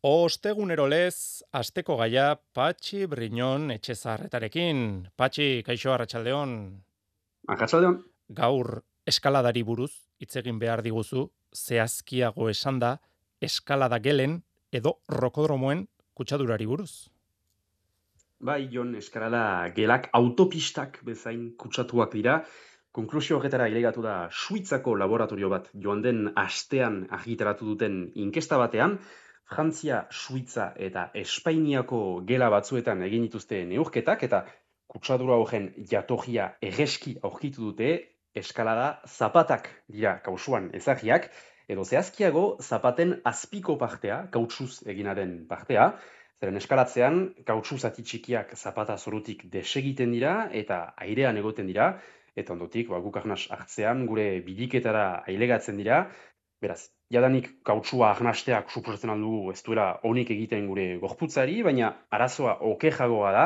Ostegunero lez, asteko gaia Patxi Briñon etxezarretarekin. Patxi, kaixo arratsaldeon. Arratsaldeon. Gaur eskaladari buruz hitz egin behar diguzu, zehazkiago esanda, eskalada gelen edo rokodromoen kutsadurari buruz. Bai, Jon, eskalada gelak autopistak bezain kutsatuak dira. Konklusio horretara ilegatu da Suitzako laboratorio bat joan den astean argitaratu duten inkesta batean, Frantzia, Suitza eta Espainiako gela batzuetan egin dituzte neurketak eta kutsadura horren jatorria egeski aurkitu dute eskalada zapatak dira kausuan ezagiak, edo zehazkiago zapaten azpiko partea, kautsuz eginaren partea. Zeren eskalatzean, kautsu zati txikiak zapata zorutik desegiten dira eta airean egoten dira, eta ondotik, guk arnas hartzean, gure bidiketara ailegatzen dira. Beraz, jadanik kautsua arnasteak suposatzen aldugu ez duela onik egiten gure gorputzari, baina arazoa okerragoa da,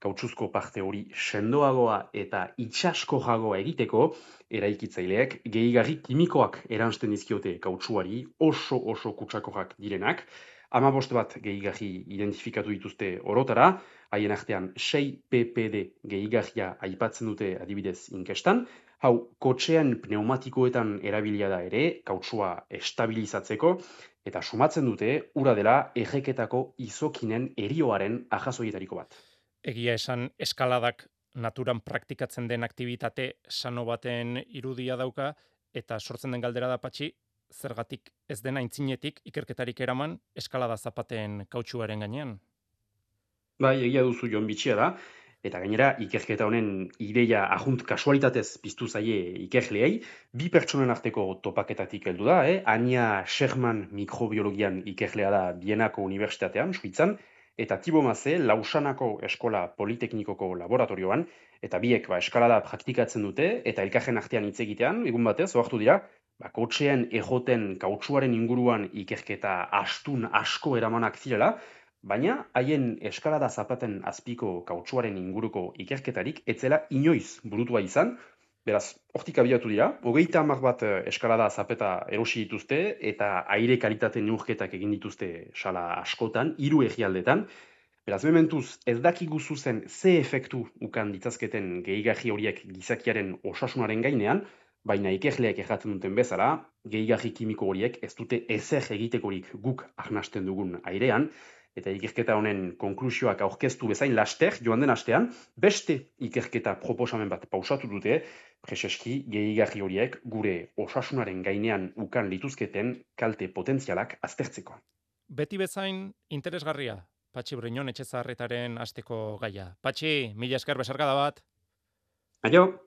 kautsuzko parte hori sendoagoa eta itxaskoagoa egiteko, eraikitzaileek gehigarri kimikoak eransten dizkiote kautsuari, oso kutsakoak direnak. 15 bat gehigarri identifikatu dituzte orotara, haien artean 6 ppd gehigarria aipatzen dute adibidez inkestan. Hau, kotxean pneumatikoetan erabilia da ere, kautsua estabilizatzeko, eta sumatzen dute, ura dela erreketako izokinen erioaren ahazoietariko bat. Egia esan eskaladak naturan praktikatzen den aktivitate sano baten irudia dauka, eta sortzen den galdera da Patxi, zergatik ez den aintzinetik ikerketarik eraman eskalada zapaten kautsuaren gainean. Bai, egia duzu Jon bitxia da, eta gainera ikerketa honen ideia ajunt kasualitatez piztu zaie ikerleei, bi pertsonen arteko topaketatik heldu da, Anja Sherman mikrobiologian ikerlea da Bienako Unibertsitatean, Suitzan, eta Thibaut Maze Lausanako Eskola Politeknikoko laboratorioan, eta biek eskalada praktikatzen dute, eta elkarren artean hitz egitean, egun batez, ohartu dira, kotxean ejoten kautsuaren inguruan ikerketa astun asko eramanak zirela, baina haien eskalada zapaten azpiko kautsuaren inguruko ikerketarik etzela inoiz burutua izan, beraz, hortik abiatu dira, 30 bat eskalada zapeta erosi dituzte eta aire kalitate neurketak egin dituzte sala askotan, 3 herrialdetan. Beraz, mementuz, ez dakigu zuzen ze efektu ukan ditzazketen gehigarri horiek gizakiaren osasunaren gainean, baina ikerleek erratzen duten bezala, gehigarri kimiko horiek ez dute ezer egitekorik guk arnasten dugun airean, eta ikerketa honen konklusioak aurkeztu bezain laster, joan den astean, beste ikerketa proposamen bat pausatu dute, preseski gehigarri horiek gure osasunaren gainean ukan lituzketen kalte potentzialak aztertzeko. Beti bezain interesgarria, Patxi Briñon etxezarretaren asteko gaia. Patxi, mila esker besarkada bat. Aio!